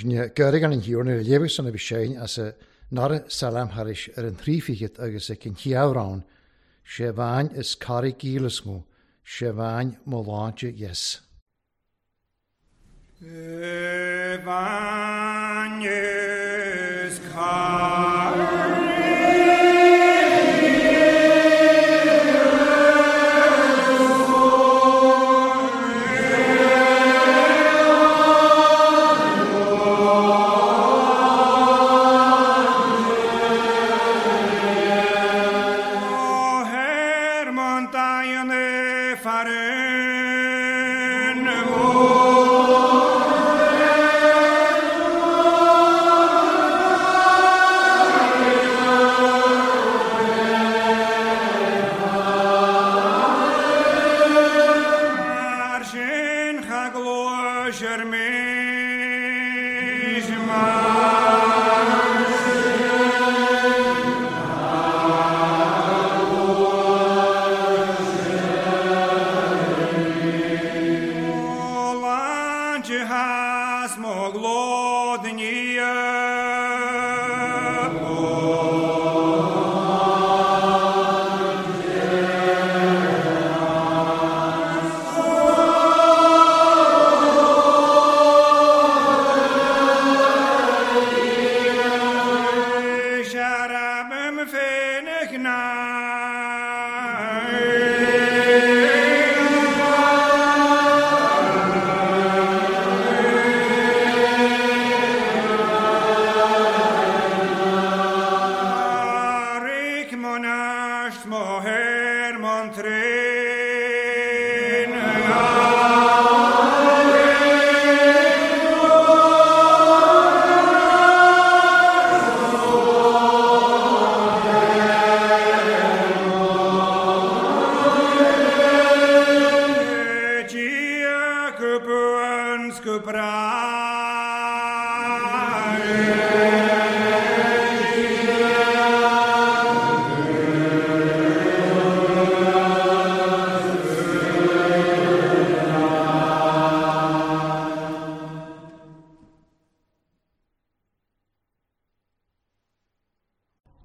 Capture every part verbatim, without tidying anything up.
Sin an hiúrna le léamh san a bhí séin as a nara salam tharis ar an trí fichead agus ag an chiamhrán, sé bhain is carraig gíolasmó, sé bhain mo láinte yes. Bhain is carraig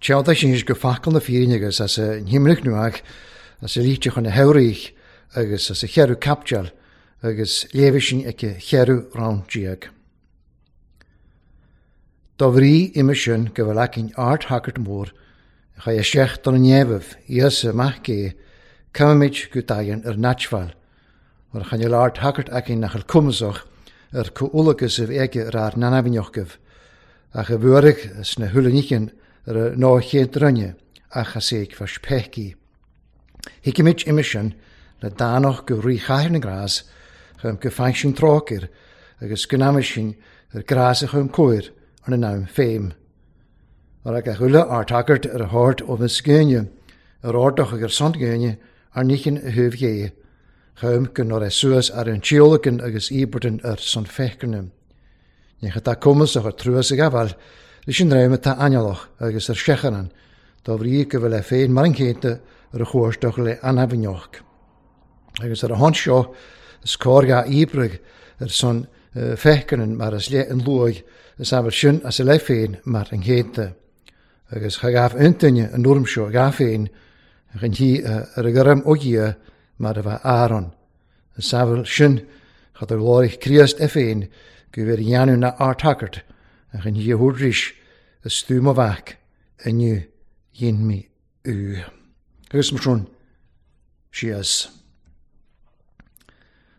Tealta sin go facal na fírinne agus as a himrich nuach, as a líte chun na heirich agus as a chearú capteal agus léamh sin ag a chearú rán déag. Dá bhrí ime sin go bhfuil aicinn ard-thagairt mór a chaith isteach don neamh Íosa mac é, caithfimid go dtagann ar naitbhail, mar a chainneal ard-thagairt aicinn nach bhfuil cumasach ar comhualagus a bhí aige ar ár n-ainmneochaibh, ach a bhuairfeadh sna huile ar a ná chéad roinne ach as éag fas peicí. Thuigimid ime sin le dánach go rí chathair na grás chum go faigh sin trácair agus go n-aimigh sin ar grás a chum cóir an an am féim. Mar ag a chuile ard-thagairt ar a thabhairt ó na sgéine, ar ardach ag ar son géine ar níchin a thuibh dhé, chum go n-ar é suas ar an tíolacan agus íobartan ar son feicerne. Ní chatá cumasach ar truas ag gabháil, leis an réim atá ainnealach agus ar seacharan, dá bhrí go bhfuil é féin mar an chéanta ar a chuaisteach le anamhneoch. Agus ar a hon seo, is cóir ga íobraigh ar son feicerne mar is le an luaigh is abair sin as a le féin mar an chéanta. Agus cha gabh intinne an orm seo ga féin an hí ar a gurm ó dhia mar a bheith Aaron. Is abair sin chad ar láirich Críost é féin go bhfuil dhéanamh na ard-thagairt ach an hí a thuairís a stúm a bheach inniu dhéan mé ú. Agus mar sin síos.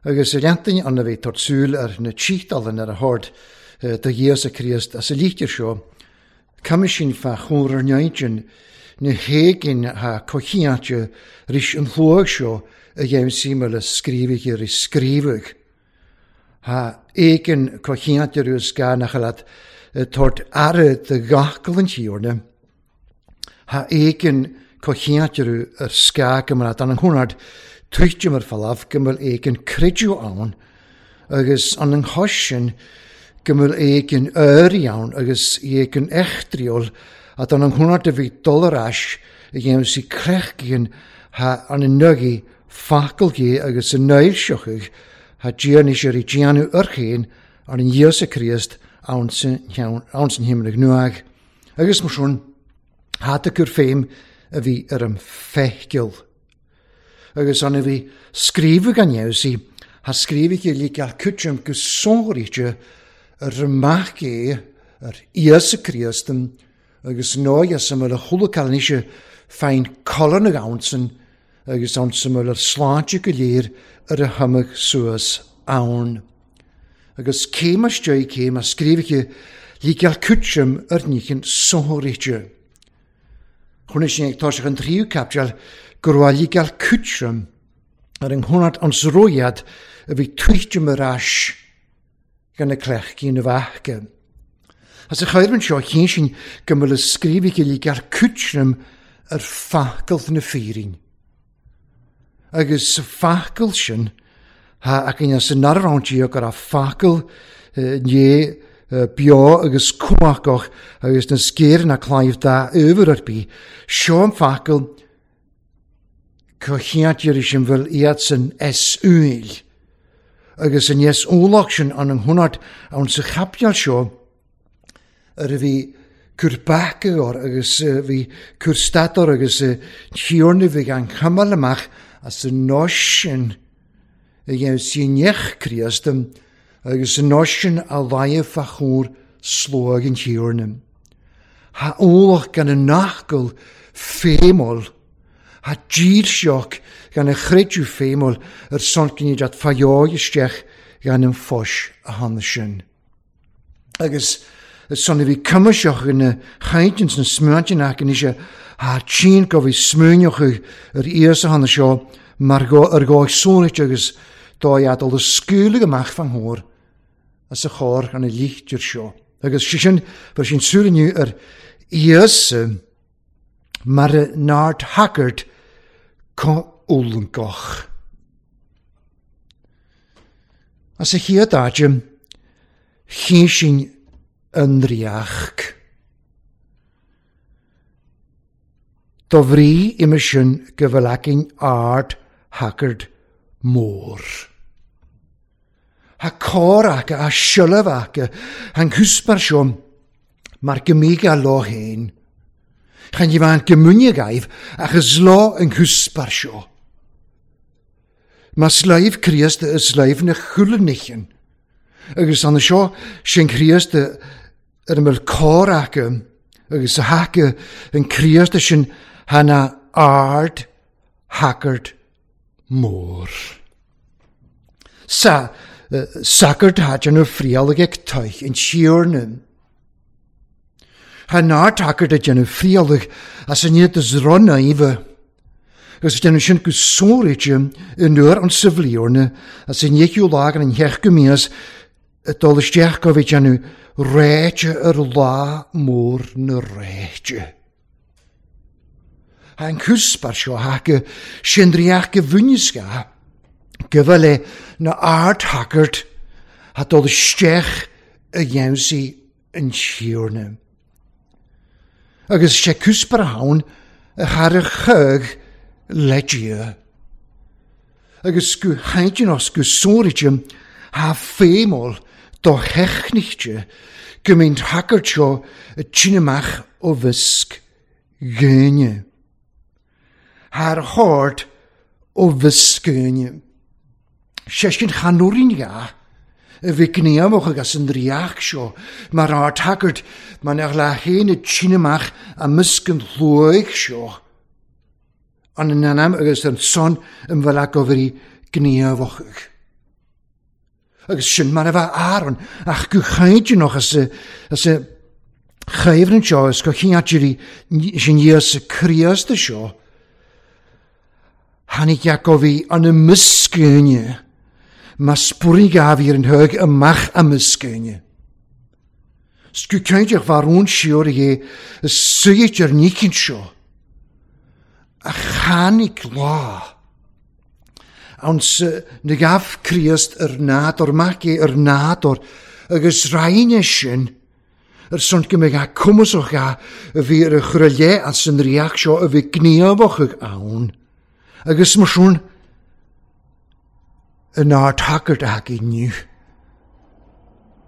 Agus i leantain an a bheith tort súil ar na títalan ar a thord do Íosa Críost as a lítear seo, caithfidh sin fa chóir ar neidin na héigin ha cochiante ris an chluag seo a dhéanamh síma le scríobhaigh ar scríobhaigh. Ha éigin cochiante rús ga nach leat tort aire de gachgal an tíorna. Ha éigin cochiante rú ar sca go mar an chónard tuitte mar falaf go bhfuil éigin creidiú ann agus an an chois sin go bhfuil éigin éirí ann agus éigin echtriol a an an chónard a bhí dul ar ais a dhéanamh sí crechgíonn ha an an nugaí facal gé agus an néilseochaidh ha déanfaidh sé ar déanamh ar chéin ar an Íosa Críost ann san himlig nuag, agus mar sin hata cur féim a bhí ar an feicil. Agus an a bhí scríobh gan dheabhsaí, ha scríobh i líceal cuitrim go sonraíte ar amach é ar Íosa Críost agus nóigh as a chuala níse féin colan na gabhansan agus an sa mhuil ar sláinte go léir ar a thumadh suas ann. Agus céim isteach céim a scríobh líceal cuitrim ar níchin sonraíte. Chun sin ag toiseach an tríú caipteal go raibh líceal cuitrim ar an chonart an sróiad a bhí tuitim ar ais gan na cleachtaí na bhfeaca. As a chuireann seo cén sin go mbeadh scríobh líceal cuitrim ar facal na fírin. Agus sa facal sin, ha againn as an narráintí go raibh facal né beo agus cumhachach agus na scéir na claimh dá uair ar bith, seo an facal go cheantar sin bhfuil iad san es úil. Agus an yes úlach sin an an chonart ann sa chapteal seo ar a bhí cur bacaor agus bhí cur stator agus tíorna bhí an chumal amach as an nós sin a dhéanamh síneach Críost agus an nós sin a laighe fa chóir slóg an tíorna. Ha úlach gan an nachgal féimol, ha dílseach gan a chreidiú féimol ar son dat fajóg isteach gan an fos a hanna sin. Agus son a bhí cumaseach na chaintins na smuantinach an ise ha tín go bhí smuineach ar íosa hanna seo mar go ar go sónait agus dá iad al scúla amach fan thór as a chór an a líchtir seo. Agus sé sin bhar sin súlaniu ar íosa mar a nárt hackert co úlangoch. As a chéad áite, chéin sin an riach. Do bhrí ime sin go bhfuil againn ard hackard mór. Ha cór aca, a siolaf aca, han cwsbar seo mar gymig a lo hen. Chan i fan gymwnia gaif ach ys lo yn cwsbar seo. Ma slaif Críost y slaif na chwlanichen. Agus an seo sin Críost ar ymwyl cór aca, agus a haca yn Críost sin hana ard hackard mór. Sa sagart hajan o frialag ag toich yn siornyn. Ha nar hackard a dyn frialag as yn iad ys ronna ife. Agus dyn sin go sórit yn nuair an sifliorna as yn iechw lag an hech gymías y dol isteach go fi dyn réite ar lá mór na réite. Ha an cwsbar seo haca sin riach gyfwnisga gyfale na ard hackard ha dol isteach y iawnsi yn siorna. Agus sé cwsbar hawn y char y chug ledia. Agus go haintinos go sórit ha fémol do hechnichte go mynd hackard seo y tínamach o fysg gynne. Haar hord o fysg gynne. Sé sin chanwrin ga, y fi gniamwch ag as yn riach seo, mar ard hackard, ma'n ar la hen y tínamach a mysg yn llwyg seo. An yn anam agus yn son yn fel ag ofri gniamwch. Agus sin mar efo Aaron, ach gwchaid as y, as y chyfryn seo, as gochiadri sin ias y Críost y seo. Hanig Iacofi an y mysgynne, ma sbwrig gaf i'r yn hyg ymach am ysgynne. Sgwcaidioch farwn siwr i y syyd yr nicyn sio, a chanig la. Awn sy nygaf Críost yr nador, magu yr nador, agus rhain sin, yr son gymig a cwmwswch a y fi yr ychryle as yn riach sio y fi gniafoch ag awn. Agus mae swn yn ard hackard ag i niw.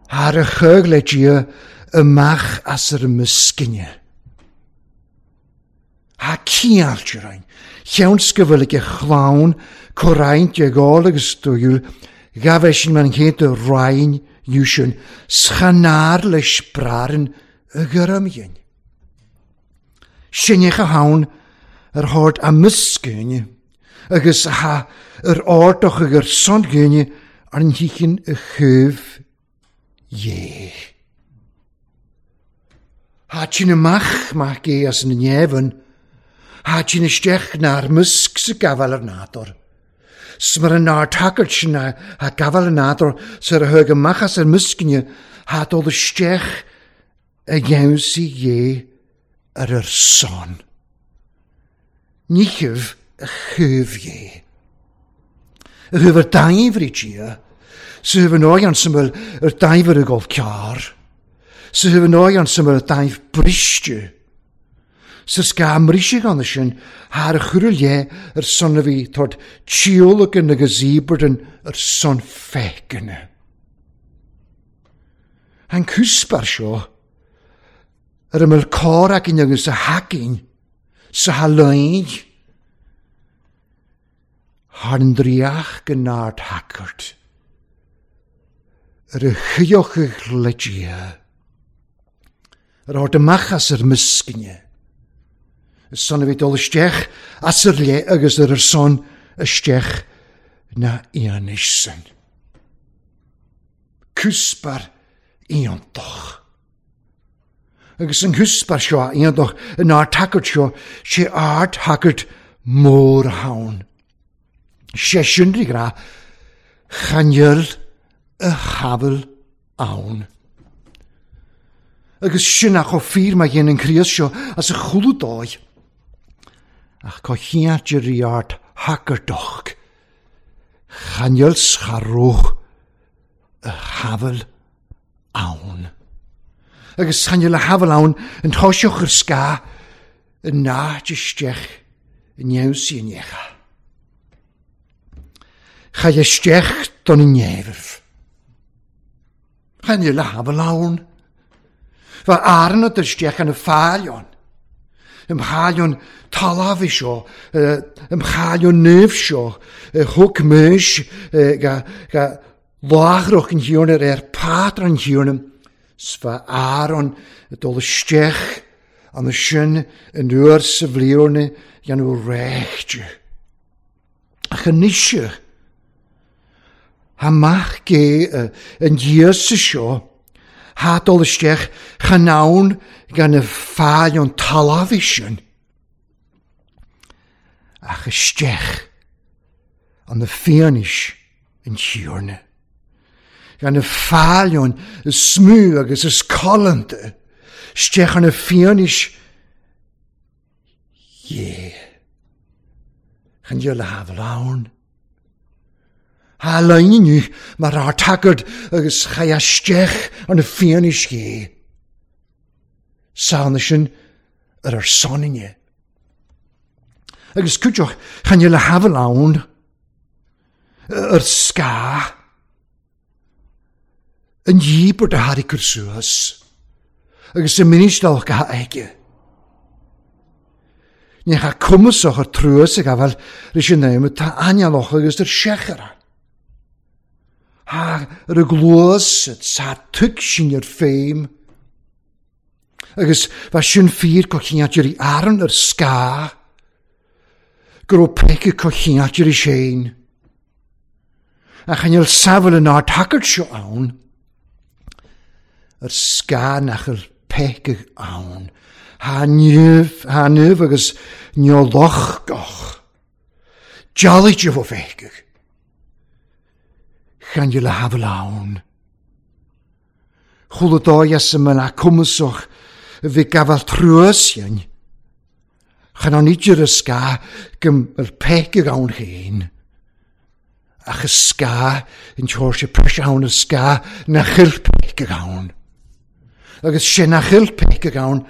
Haar a chug le Dia amach as ar muscinne. Ha ciáilte rain. Cheann go bhfuil ag chlann comhroinnt ag ól agus dúil, ghabh sin man chéad roinn sin schanáir leis brarin a gurmgin. Sinneach a haun ar thord a muscinne, agus ha ar ardach ag ar son gynne ar an híchin a chuimh dhé. Ha sin amach mac é as na neamhan, ha sin isteach nár musc sa gabháil ar nádúr. Smar an nár tagairt sin a gabháil ar nádúr sar a thug amach as ar muscinne, ha dul isteach a gheansaí dhé ar ar son. Níchibh a chuimh dhé. A chuimh ar daimhrí Dia, sa chuimh an óighean sa bhfuil ar daimhir a gabh cearr, sa chuimh an óighean sa bhfuil ar daimh briste. Sa sca mríseach anna sin, thar a chur le ar son a bhí tord tíolacan agus íbardan ar son feiceanna. An cúspar seo, ar a mbeadh cór againn agus a haicinn, sa haláin, thar an dríoch go nád thagairt, ar a chuiochadh le Dia, ar ard amach as ar muscinne, son a bhí dul isteach as ar le agus ar ar son isteach na ionis sin. Cúspar iontach. Agus an cúspar seo iontach in ard thagairt seo, sé ard thagairt mór ann. Sé sin rí gra, channeal a shamhail ann. Agus sin ach ó fíor má dhéanann an Críost seo as a chúladóidh. Ach có chiart rí ard thagairt channeal scharúch a shamhail ann. Agus channeal a shamhail ann an toiseach ar sca an náid isteach in neamhsaí an necha. Chaith isteach don neamh. Channeal a shamhail ann. Bha arna isteach an fáilion. Im chailion talamh seo, im chailion neamh seo, thug muis ga ga láithreach an thiarna ar pádra an thiarna, sfa Aaron dul isteach an sin in uair sa bhliarna dhéanamh réichte. Ach anois amach gé an Íosa seo, ha dul isteach chan ann gan y fáilion talamh sin. Ach isteach an na fianis an thiarna. Gan y fáilion y smú agus is colanta. Isteach an na fianis dhé. Chan dhéal a shamhail ann. Ha leinniu mar ar tagad agus chaith isteach an na fianis dhé. Sána sin ar ar soninne. Agus cúideach chan dhéal a shamhail ann. Ar sca. An dhíobairt a thairg cur suas. Agus y ministal ga aige. Ní cha cumasach ar truas ag afael leis an naim tá anealach agus ar sechara. Ha ar y glwys sa tug sin ar féim. Agus fa sin fír go chiantir i Aaron ar sca. Go raibh peice go chiantir i séin. Ach an fheil samhail an ard thagairt seo ann. Ar sca nach ar peice ann. Ha niamh, ha niamh agus neolach goch. Dealaigh fó feice. Chan dhéal a shamhail ann. Chuala dóigh as y mbeadh cumasach a bhí gabháil truas sin. Chan an idir a sca go mbeadh peice ann féin. Ach y sca yn teoir sé pres ann y sca na chil peice ann. Agus sé na chil peice ann,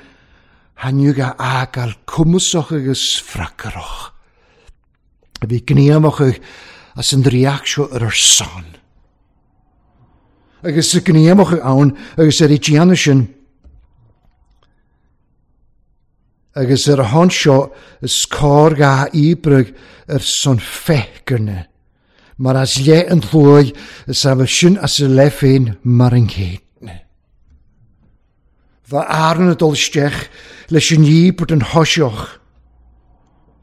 hanniú ga ágáil cumasach agus fracarach. A bhí gníomach as an dríoch seo ar ar son. Agus sa gníomach ann agus ar i déanamh sin. Agus ar a hon seo is cóir ga íbrug ar son feicerne. Mar as le an tlóig is a bheith sin as a le féin mar an céadna. Bha Aaron a dul isteach leis an íobairt an thoiseach,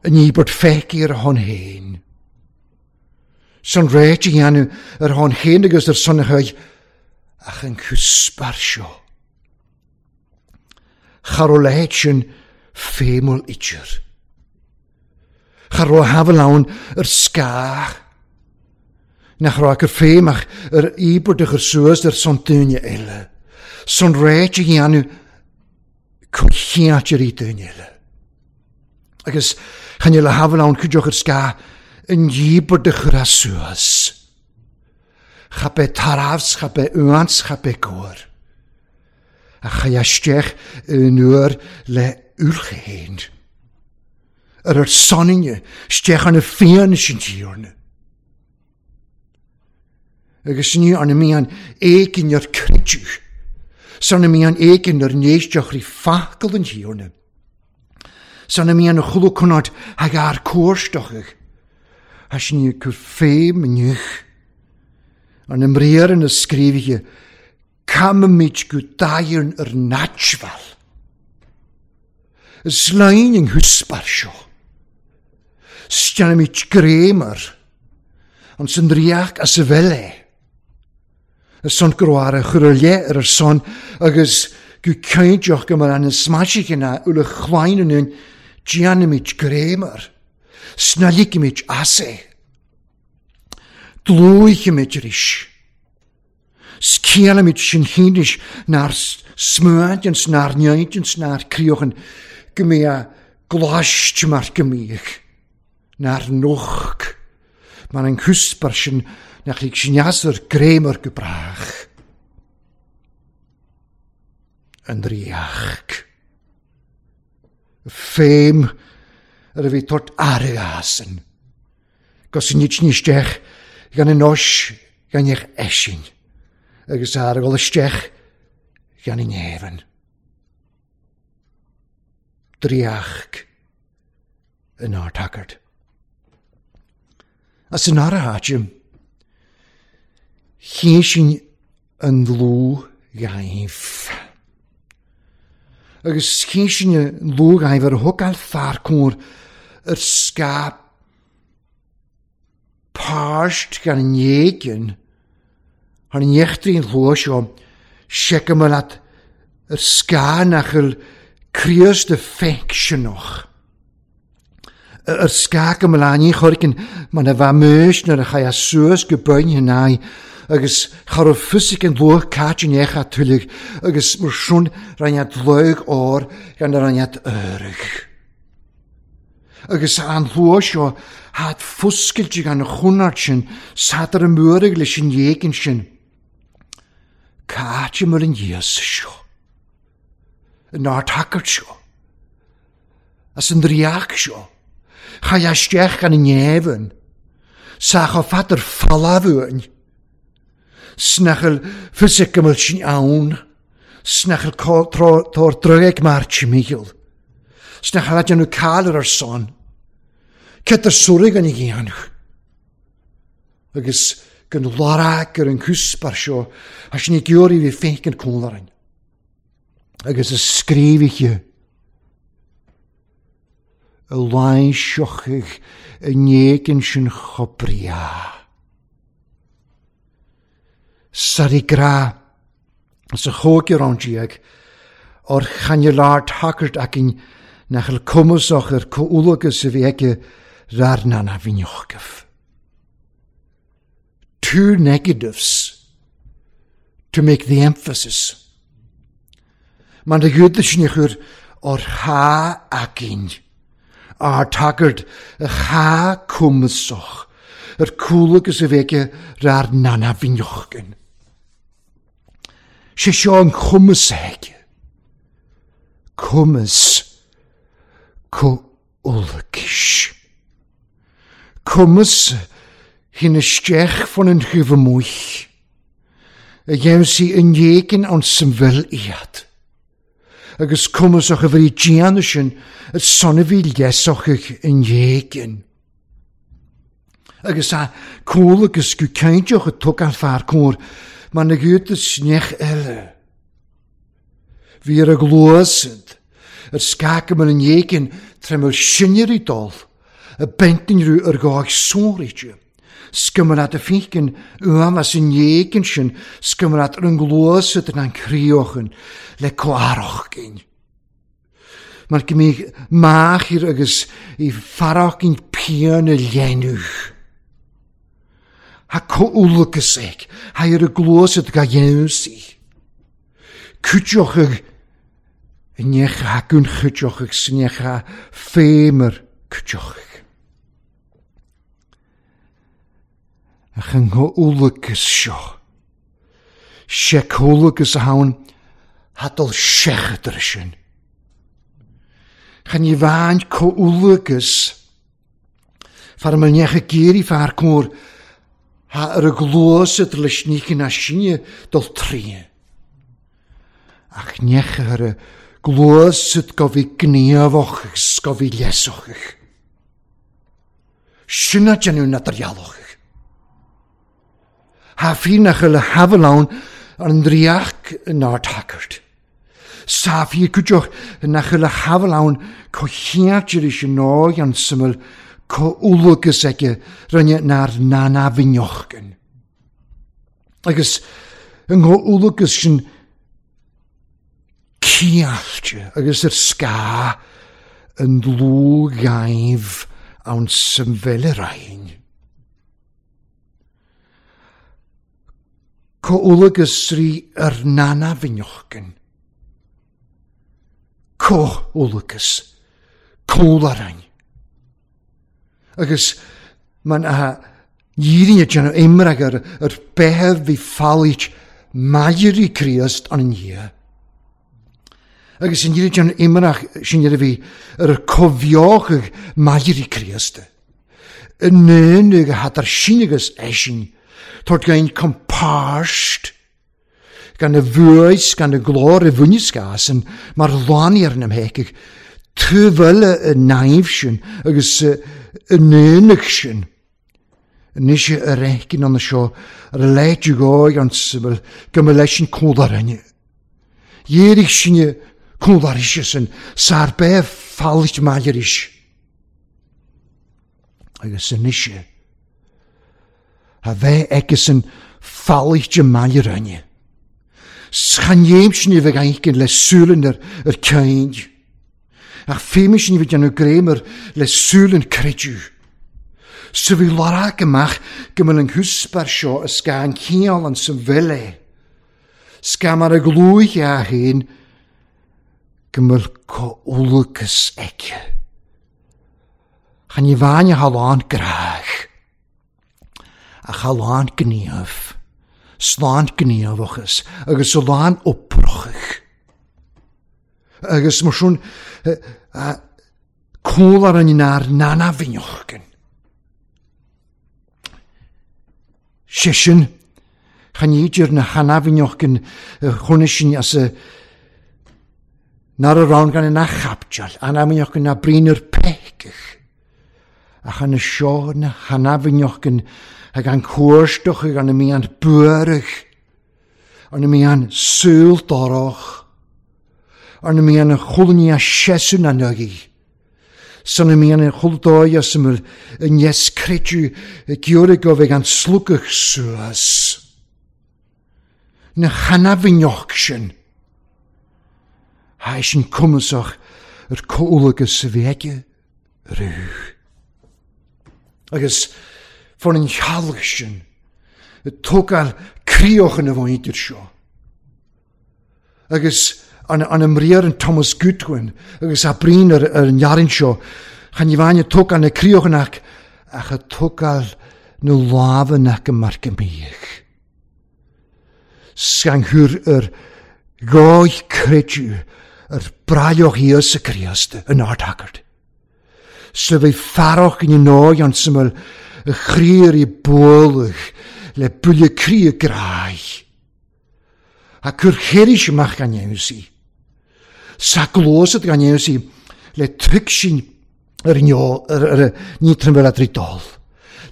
an íobairt feicthe ar a shon féin. San réit a dhéanamh ar a shon féin agus ar son a chuid, ach an cuspair seo. Cha raibh leithéid sin féimúil idir. Cha raibh a shamhail ann ar scáth. Nach raibh ach ar féim ach ar íobairt a chur suas ar son duine eile. San réit a dhéanamh comhcheart ar duine eile. Agus chan eil a shamhail ann cuideoch ar scáth an íobairt a chur as suas. Cha b'é tarbhs, cha b'é uans, cha b'é cóir. A cha isteach in uair le ulchéin. Ar ar soninne, isteach an na fianais an tíorna. Agus ní an mian éigin ar creidiú. San mian éigin ar néisteach rí facal an tíorna. San mian a chulu cunard hag ar cóirstochach. Ha sin ní cur féim inniuch. An imréar na scríbhithe, caimid go daighearn ar naitsbhal. Is láin an húsbar seo. Steannaimid gréimar, an san ríoch as a bhfuil é. Is son go raibh a chur ar leith ar ar son agus go cinnteach go mar an smaisiche na ula chláin an déanaimid gréimar. Snaligimid as é. Dlúichimid arís. Scéalaimid sin chéinis nár smuaint ans nár neint ans nár críochan go mbeadh a ghlaist mar go mbíodh. Nár noch. Mar an cuspair sin nach lig sneasar gréimar go brách. An ríoch. Féim ar a bhí tort airgeasan. Gos nid ní isteach gan an ois gan eich eisin. Agus airgeal isteach gan an éibheann. Dríoch in ár tagairt. As an ara háitim, chéin an dlúth-ghaibh. Agus chéin an dlúth-ghaibh ar thugáil fear cóir ar scáth páist gan an éigin, thar an éachtraí an chló seo, seiceamar leat ar scáth nach bhfuil Críost y ffecsiynwch. Yr sgag ymlaen i chorgyn, mae yna famwys na'r chai a sŵs gyboen hynau, agus char o ffysig yn lwch cat yn eich a tylig, agus mwr swn raniad lwg o'r gan y raniad yrych. Agus an lwch o had ffwsgil gan y chwnart sin, sad ar y mwrig leis yn iegyn sin. Cat ymwyr yn Iesu sio. Yn ar tagart sio. As yn riach sio. Chai isteach gan yn nefyn. Sach o fadr ffalafwyn. Snachel ffysig ymwyl sy'n awn. Snachel tor drygeg mar timiol. Snachel adyn nhw cael yr arson. Cedr swrig yn ei gianwch. Agus gan larag ar yn cwsbar sio, a sy'n ei gyr i fi ffeic yn cwlarin. Agus y sgrifich y lainsiochig y negyn sy'n chobria. Sari gra, as y chóg i'r ond o'r chaniolar tagart acin nach el cwmwsoch yr cwlwgus y fi ege rar nana finiochgaf. Two negatives to make the emphasis. Mae'n y gwyd sy'n eich o'r ha acin, a'r tagart y ha cwmwsoch, yr cwlwgus y fi ege rar nana finiochgyn. Sé seo an chumas aige. Cumas comhulachais. Cumas hyn isteach fan an chuimh amuigh. A dhéanamh an éigin an san bhfuil iad. Agus cumasach a bhí déanamh sin a son a bhí leasach an éigin. Agus a cúl agus go cinnteach a thug an fear cóir mar na gcuid neach eile. Bhí ar a gluasad, ar scacam an éigin tremel sinnerí dul, a bentinrú ar gáig sóirite. Scumarad a fícin uam as an éigin sin, scumarad ar an gluasad an críochan le comharachcin. Mar go mí máchir agus i farachcin pian a léanúch. Ha comhúlachas ag, ha ar a gluasad ga dhéanamh. Cúiteochadh neach ha gún cúiteochadh sneach ha féimar cúiteochadh. Ach an comhúlachas seo. Sé comhúlachas a hawn hadal seachadar sin. Chan i bhain comhúlachas far ma neach a géirí fear cóir ha ar a gluasad leis nícin a sinne dul trí. Ach neach ar a gluasad go bhí gníomhach agus go bhí leasach. Sin a déanamh na dhealach. Ha fírinneach le havalán ar an dríoch nár tacairt. Sa fíor cuideach nach le havalán co cheartir is an náig an suimil comhúlachas aige rinne nár nana bhinneochgan. Agus an comhúlachas sin ciallte agus ar sca an dlúghaimh an samhile rain. Comhúlachas rí ar nana bhinneochgan. Comhúlachas cólarrain. Agus man a dhírinne déanamh imreach ar ar bheith bhí fáilit maidirí Críost an dhia. Agus an dhírinne déanamh imreach sin ar a bhí ar comhbheochadh maidirí Críost. An naonú a hat ar sin agus eisin, Tort gain compáist gan a bhuais gan a glór a bhuineascásan mar láníar na mhéicigh tuibhile a naimh sin agus a naonach sin. Anois a réicin an seo ar a léite gáig an sibel go mba leis an códarinne. Dhéirigh sinne códarise sin sár bheith fáilt maidiris. Agus anois a bheith aige san fáilte maidirinne. Chan sin bheith aicin le súlan ar, ar ceint. Ach féimid sin bheith déanamh gréimar le súlan creidiú. Sa bhí larach amach go mbeadh an húsbar seo a sca an cineál an sa bhile. Sca mar a glúich a haon go mbeadh comhúlachas aige. Chan i bhain a halán grách. Ach a lán gníomh, slán gníomhachas, agus a lán oprochach. Agus mar sin, cólar an nár nana bhinneochgan. Sé sin, chan idir na hana bhinneochgan chuna sin as a nar a rán gan na chapteal, ana bhinneochgan na brín ar peiceach. Ach an seo na hana bhinneochgan ag an cuairstoch ag an mí an buarach, an mí an súltarach, an mí an chulní a sesun an agi, san mí an chuldáia samul an yes cretu giorigov ag an slukach suas. Na hana bhinneoch sin. Ha sin cumasach ar comhúlachas a bhí aige rú. Agus fan an chealach sin, y tógáil críochan a bhain idir seo. Agus an, an ymriar an Thomas Goodwin, agus a brín ar, ar an jarin seo, chan i bhain y tógáil na críochan ach, ach a tógáil na lámha ac y mar gymíach. Sganghwr yr goich credu yr braioch Iesu Christ yn ardhagard. Sa bhí farach yn nóig an syml y chríir i bwylch le bwyle crí y graich. Ha cur chéiris amach gan dhéanamh. Sa glósad gan dhéanamh le tuigsin ar ar ní trimmer a dul.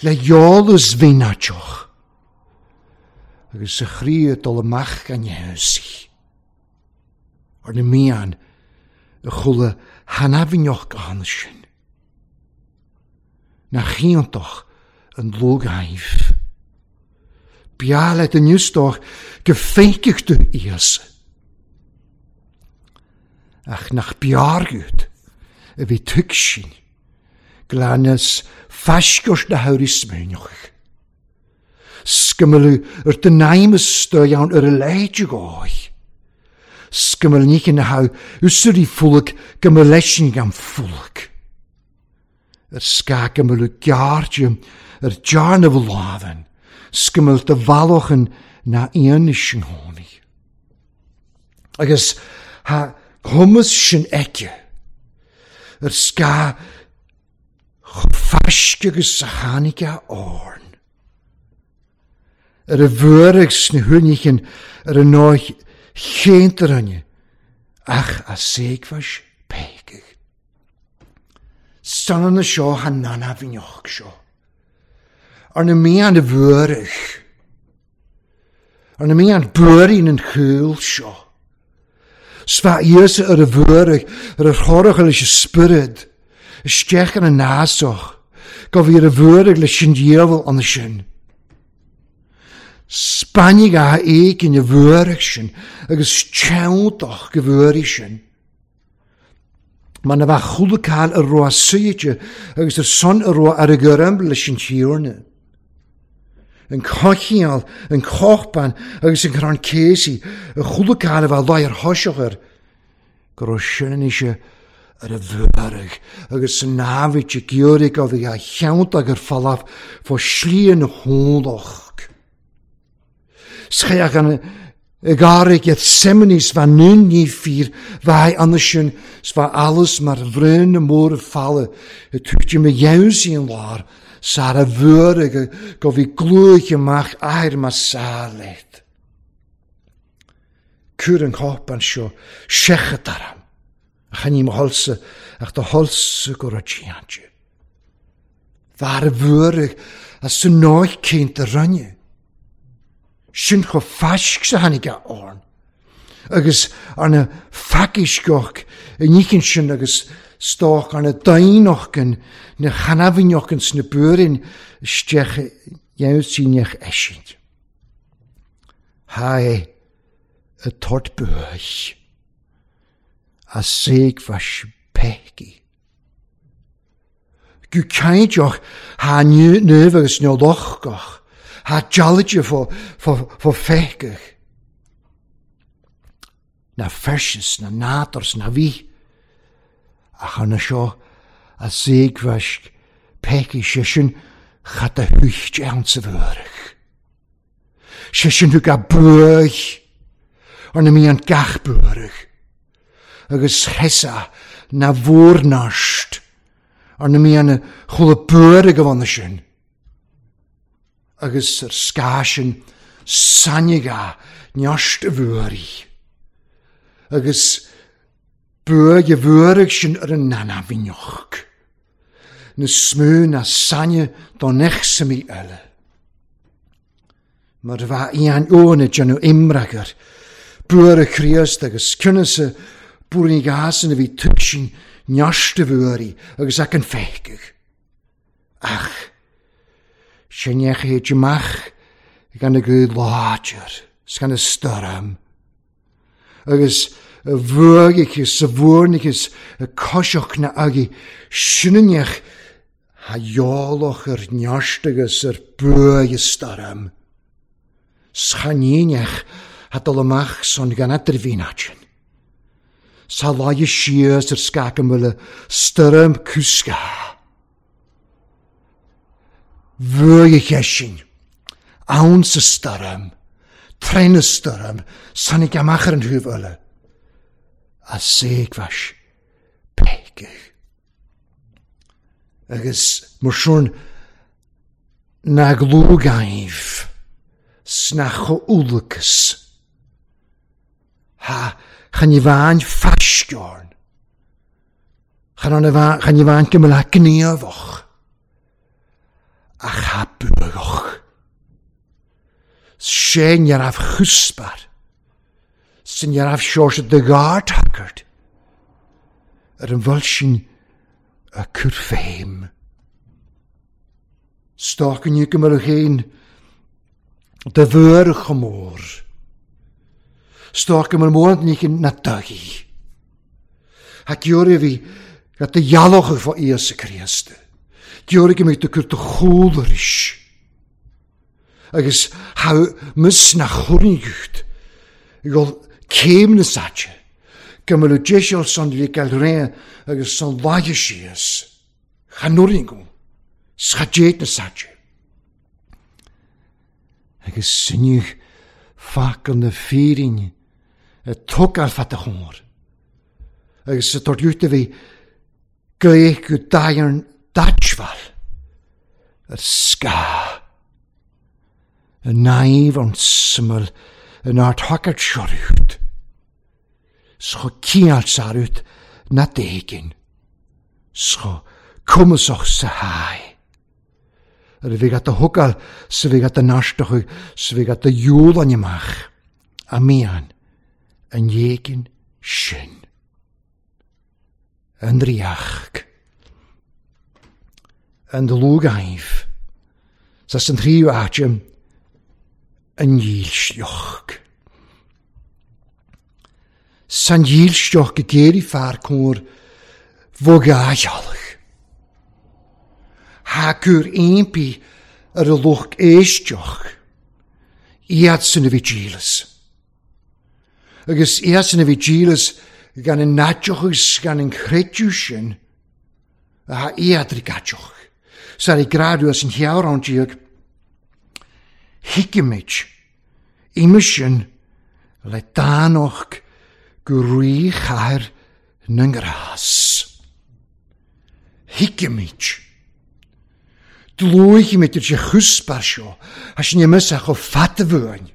Le eolas bhínáiteach. Agus sa chroí dul amach gan dhéanamh. Ar na mian a chuala hanafhíneach ann sin. Na chíontach an lógaimh. Bia le den newsdach go féiceach tú Íosa. Ach nach beargút a bhí tuigsin, glanas faisceois na haurí smaoineach. Scimealú ar den naimmas stoiann ar a leithe gáith. Scimeal níche na hau úsairí fulaig go mba leisin gan fulaig. Ar sca go gearrte ar dearnamh lámhan. Scimeal de bhallochan na aon sin tháinig. Agus ha chumas sin aici ar sca chomh faisce agus a tháinig a árn. Ar a bhuairg sna huainíchin ar a náith chéantaranne ach a séagmhais péiceach. Sanna seo ha nanafhíneach seo. Ar na mian a bhuairg. Ar na mian buairín an chúil seo. Sfa Íosa ar a bhuairg ar a chorach leis an spiorad. Isteach ar an násach. Go bhí ar a bhuairg leis an diabhal an sin. Spainig a éigin a bhuairg sin agus teanntach go bhuairg sin. Mar na bheith chúlacáil a raibh suite agus ar son a raibh ar a gcuirim leis an tíorna. An cochial, an cochban agus an crann céisi a chúlacáil a bheith láir thoiseach air go raibh sin anois ar a bhuairg agus san námhaid a ghiúraigh a bhí a cheanntach ar falaf fá slí na hónlach. Scheach an ag het semenies van nu niet vier, wij andersen, zwa alles maar vreunde moren vallen. Het tuchtje me juist in laar, sara wurige, go wie gloeitje mag air maar salet. Kuren kopan sjo, sjechet daram. Ach aan iem holse, ach de holse goratjiantje. Waar wurig, als ze nooit kind te ranje. Sin cho faisc sa tháinig a árn. Agus arna facisgoch i níchin sin agus stoch arna daoinochgan na chanafhíneachgan sna buairín isteach dheabhsíneach eisint. Hae a tort buaich a séagmhais peici. Gu cainteach ha nuamh agus neolochgach. Ha dealite fá fá feiceach. Na fersis, na nádors, na bhí. Ach arna seo a séagmhaisc peici sé sin chat a thuicht ann sa bhuairg. Sé sin thug a buaich ar na mian gach buairg. Agus chesa na bhórnast ar na mian chuala buairg a bhana sin. Agus ar sca sin sainige neast a bhuairí. Agus buaig a bhuairg sin ar an nanafhíneach. Na smú na saine don echsamaí eile. Mar bheith ian óna déanamh imreagar, buair a Chríost agus cinnasa buairín gásan a bhí tuigsin neast a bhuairí agus ach an feiceach. Ach, sin éad amach gan a gcuid láidir, gan a stoirm. Agus a bhuaigh sa bhuairneachas a coiseach na agaí sinneach ha eolach ar neast agus ar buaigh stoirm. Schaníneach ha dul amach son gan idirmhínáit. Sa láidhe síos ar scaca muile stoirm cúsca. Bhuaigh sin, ann sa stoirm, tréna stoirm, sannig amach ar an thuibh eile. A séagmhais péiceach. Agus mar sin na glúgaimh sna chomhúlachas. Ha, chan i bhain faisceorn. Chan i bhain go mbeadh gníomhach. Ach ha buagach. Sé ní raibh chuspar. Sin ní raibh seoirse de ghardthagairt. Ar an bhfuil sin a cur féim. Stoc inniu go mbeadh féin de bhur chomór. Stoc go mbeadh mórán nícin na dagaí. Ha giorra bhí gat de dhealach fá Íosa Críost. Giorra go mbeadh de cur de chúlaris. Agus ha mus na chornigucht. Gol céim na saite. Go mbeadh deiseal san le gael réan agus san laige síos. Chanúringú. Schadeet na saite. Agus sinneadh facal na fírinne a tógáil fat a chóir. Agus sa tortúta bhí gaoth go daighearn daitbhail ar scáth. A naimh an smail an ardthagairt seorút. Scho ciall sarút na déigin. Scho cumasach sa haigh. Ar a bhí gat a thugáil sa bhí gat a náisteach sa bhí gat a dhiúlann amach. A mian an dhéigin sin. An ríoch. An dlúgaimh. Sa san tríú áite an dhílseach. San dhílseach go géirí fear cóir bhogáisealach. Ha cur aonpaí ar a lucht éisteach. Iad san a bhí díolas. Agus iad san a bhí díolas gan an naiteachas gan an chreidiú sin a ha iad rigaiteach. Sar i grádú as an chearán díag. Hicimid ime sin le dánach go rí chathair na ngrás. Hicimid. Dlúigimid ar sé chuspar seo, a sin imis a chomh fada bhuain.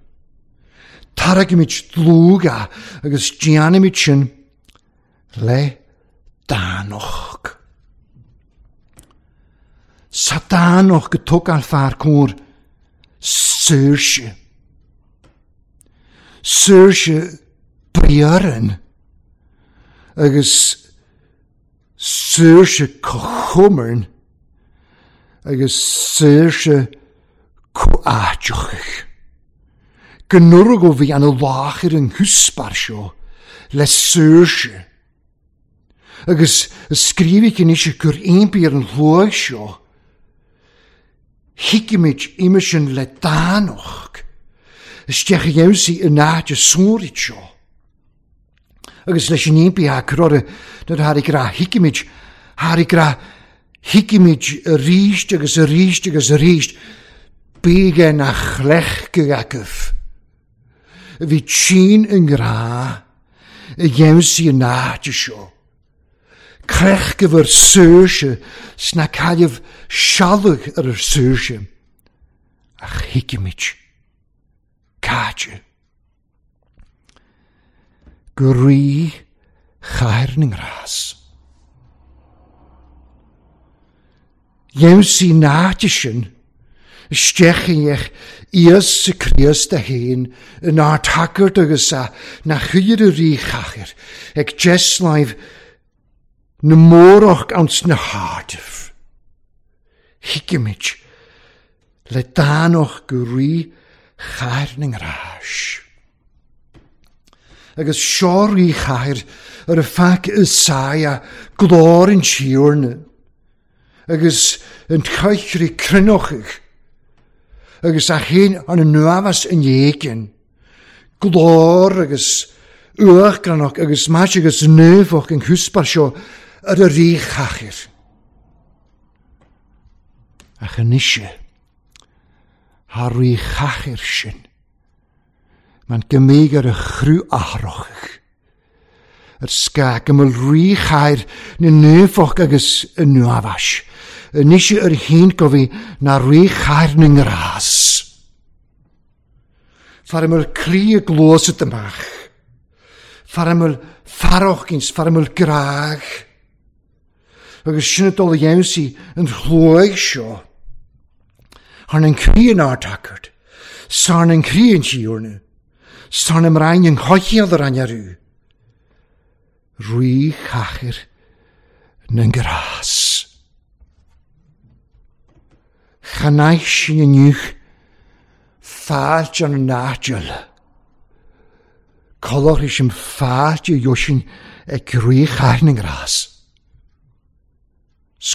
Tarraigimid dlúga agus déanaimid sin le dánach. Sa dánach go tógáil fear cóir saoirse. Saoirse briarann agus saoirse cochumarn agus saoirse comháiteach. Go nuair go bhí an láthair an chuspar seo le saoirse. Agus scríobhaidh anois gur aonpaí ar an shlóigh seo. Hicimid ime sin le dánach. Isteach a dhéansaí in áit a sóirid seo. Agus leis an aonpaí a cur nuair tháinig rá hicimid, tháinig rá hicimid arís agus arís agus arís. Bíge na chlech go acu. Bhí tsin an grá a dhéansaí in áit seo. Crech go bhur saoirse sna caillimh sealbh ar ar saoirse. Ach hicimid. Cáite. Go rí chathair na ngrás. Dhéansaí náite sin isteach Íosa Críost a haon in ardthagairt agus a na chuir a rí chathair ag deisláimh na mórach ans na hardamh. Hicimid le dánach go rí chathair na ngrás. Agus seo rí chathair ar a feac Isaia glór an tíorna. Agus an chaithrí cruinneochaidh. Agus a chéin an nuamhas an dhéigin. Glór agus uachgranach agus mais agus nuafach an chuspar seo ar a rí chathair. Ach anois ha rí chathair sin. Man gymig ar a chrú athrochach. Ar sca go mbeadh rí chathair na nuafach agus an nuamhais. Anois ar chéin go bhí na rí chathair na ngrás. Far mar croí a glósat amach. Faramul farrochkins, faramul graag. Agus sin dul a dhéansaí an chluaigh seo. Thar an croí an ardtagairt, sar an croí an tíorna, sar na mrainn an choicheall ar an arú. Rí chachair na ngrás. Chanaich sin inniu fáilte an náidil. Colach sin fáilte dheosin ag rí chachair na ngrás.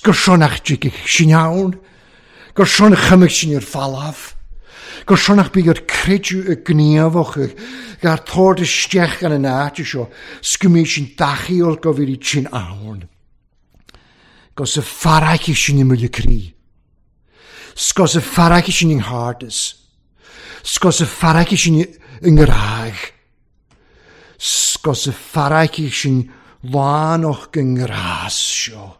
Gur sonach dtigh sin ann, gur sonach chumach sin ar falaf, gur sonach bí ar creidiú y gníomhach gar tord isteach gan an áite seo, sgumí sin dachiol go bhí sin ann. Gos y faraici sin i mwle crí. Sgos y faraici sin yng nghardas. Sgos y faraici sin yng ngraag. Sgos y faraici sin lánach yng ngras seo.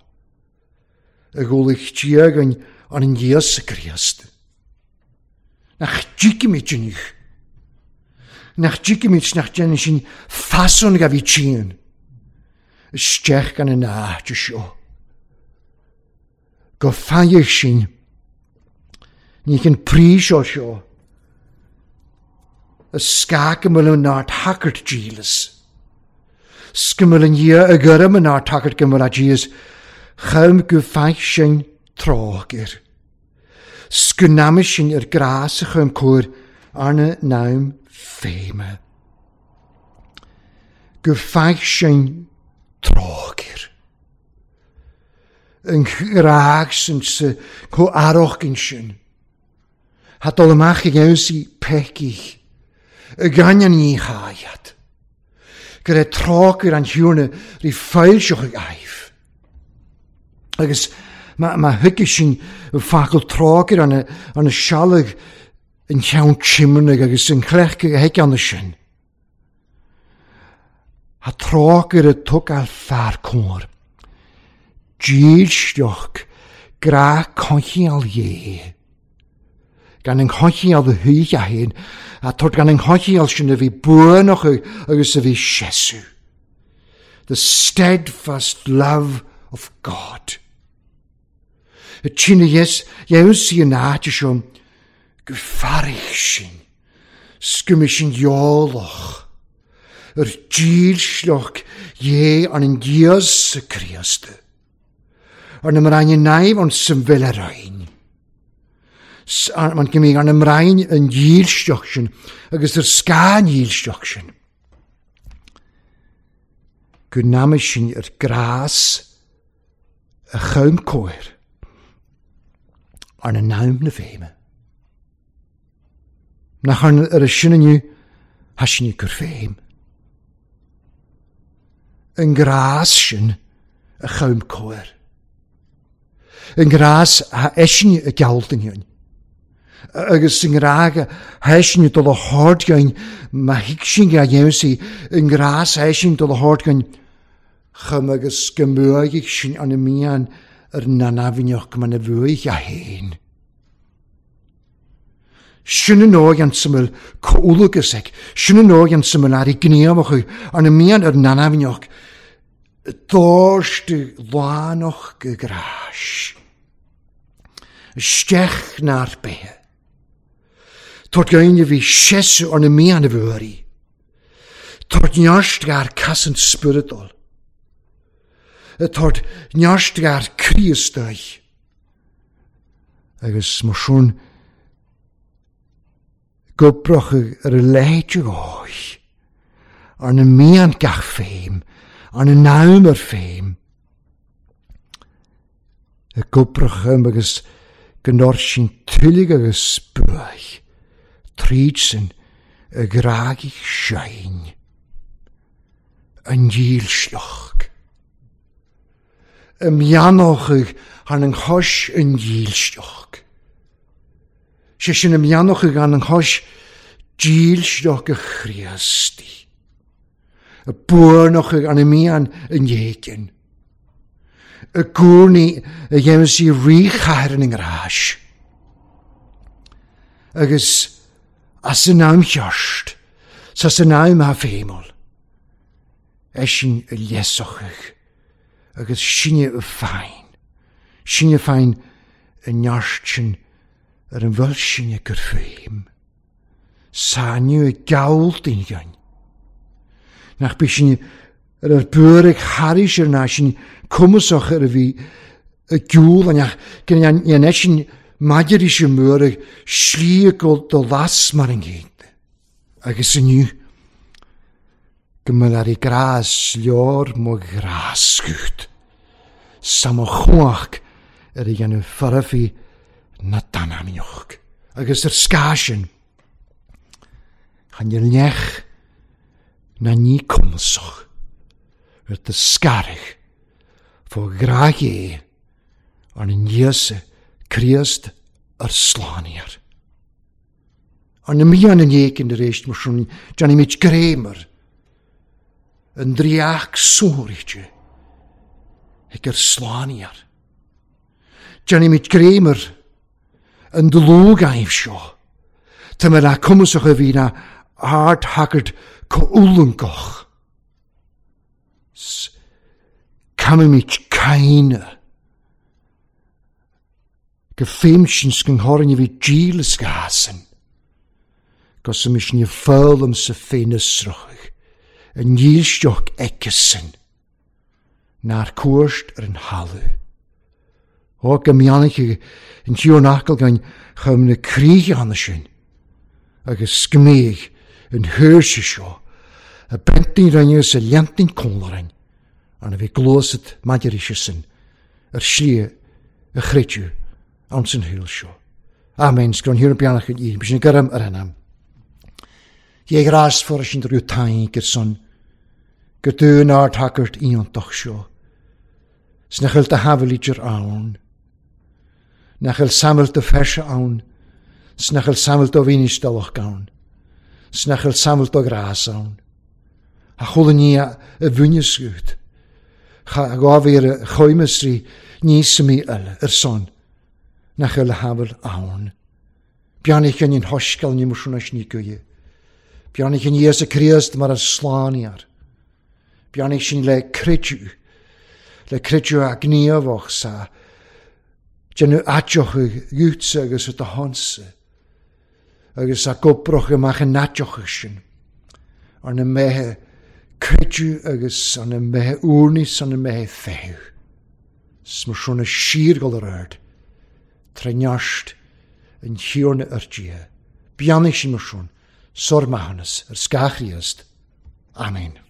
Y gwlich tiag yn an Iesu Christ. Nach dtigimid inniu. Nach dtigimid nach déanann sin fason ga bhí tían. Isteach gan an áite seo. Go faigheadh sin. Ní an príos seo seo. Y scac ymwyl yn nár tagart dílas. Sgymwyl yn ia y gyrm yn nár tagart gymwyl a días. Chym go faigh sin trágir. Sgwnamys sin ar gras y chym cwyr arna naam féime. Go faigh sin trágir. Yn graag sy'n sy co aroch gyn sin. Ha dol amach ag awsi pecich. Y ganyan ni chaiad. Gyda trágir an hiwrna ri ffailsioch ag aif. Agus ma, ma thuige sin facail trágir an an sealag an cheann timnach agus an chlech a thuig an sin. Ha trágir a tug al fear cóir. Dílsteach gra conchial dhé. Gan an conchial a thuig a hain, a tord gan an conchial sin a bhí buanach agus a bhí sesu. The steadfast love of God. Y tine yes, jeus i yn áite seo, go farich sin, sgymys sin iolach, yr dílsleach dhé an an Iesu Christ. Ar na mrain yn naif ond symfil ar ein. Mae'n gymryd ar na mrain yn dílsleach sin, agus yr sgan dílsleach sin. Gwnamus sin yr gras y chym cwyr ar na naam na féime. Nach ar ar y sin inniu, ha sin i gur féim. Yn gras sin y chym cwyr. Yn gras ha eisiau y gealdyn hyn. Agus yn graag ha eisiau dod o hordgain, ma higsin ga dhéansaí, yn gras ha eisiau dod o hordgain, chym agus gymwyaig sin an y mian yr nanafinoch man y fwy a hen. Sin yn oed an syml cwlwg ag, sin yn oed an syml ar ei gníomach an y mian yr nanafinoch, dórstu lánach go gráis. Isteach na'r behe. Tort gain a bhí sesu ar na mian a bhúirí. Tort nearst gar casan spiritol. Tort nearst gar Christoi. Agus mar sin gobrach ar y leid o'i. Ar na mian gach féim, ar na naam ar féim. Y gobrach ym agus gynnor sy'n tylig agus bwyd. Tríd sin y graag sein. Yn dílsleach. Y mianoch han yn chois yn dílsleach. Sé sin y mianoch han yn chois dílsleach y Christi. Y bwrnoch an y mian yn iegin. Y gwrni y dhéanamh i ríchair yn ngrás. Agus as yn am cheart, sas yn am ha féimol. Eisin a lesochach agus sinne a féin. Sinne féin a neart sin ar an bhfuil sinne gur féim. Sániu a gawl dyn gain. Nach bí sinne ar ar bwr ag haris ar na sin cwmysach ar a fi y gŵl a neach gan an eisin maidir is y mwr ag slí go do las mar yn gyd. Agus inniu gymryd ar ei gras lior mo gras gwyd. Sam o chwach ar ei gan y ffyrfi na danamioch. Agus yr sgasyn chan i'r nech na ni cwmysach yr dy sgarych fo grag e an yn Iesu Christ yr slaniar. An y mian yn eich yn yr eist mar sin Johnny Mitch Grémer yn driach sórichte ag yr slaniar. Johnny Mitch Grémer yn dlwg aif sio. Tyma na cwmysach a fi na ard haggard coulwngoch. Camimid caine. Gefeimsin sgynghoryn i fi gil ysgasen. Gos ym ni ffyrlym sy ffeinysroch. Yn nílstioch eicysyn. Na'r cwrst ar yn halu. O gymianach yn tiwr nacl gan chym na crych anna sin. Agus sgmig yn hyrsi sio. Y bentyn rhain y lentyn cwlarain. Arna fi glwsyd maidir eisiau Yr sli y chreidw ans yn hwyl sio. Amen, sgron hir yn bianach yn un, bys yn gyrram yr enam. Ie gras ffordd sy'n drwy tain gyrson, gydyn ar tagert iontoch sio. Snachel dy hafel i gyr awn. Nachel samel dy fersa awn. Snachel samel dy finistelach gawn. Snachel samel dy gras awn. A chwlyn ni a fwynysgwyd. Cha gofir y choymysri níos mi yl yr son. Nachel hafel awn. Bianich yn un hosgal ni mwswn ni gwy. Bianich yn Iesu Christ mar y slaniar. Bianich sy'n le credw. Le credw a gniafoch sa. Dyn nhw adioch y gwtsa agus y dyhonsa. Agus a gobroch ymach yn adioch ysyn. Ond y mehe credw agus an y mehe wrnis an y mehe few. Smwrswn y sir gol yr ard. Treniast yn hiwrn yr dia. Bianich sy'n mwrswn. Sor mahanus, yr sgachriast. Amen.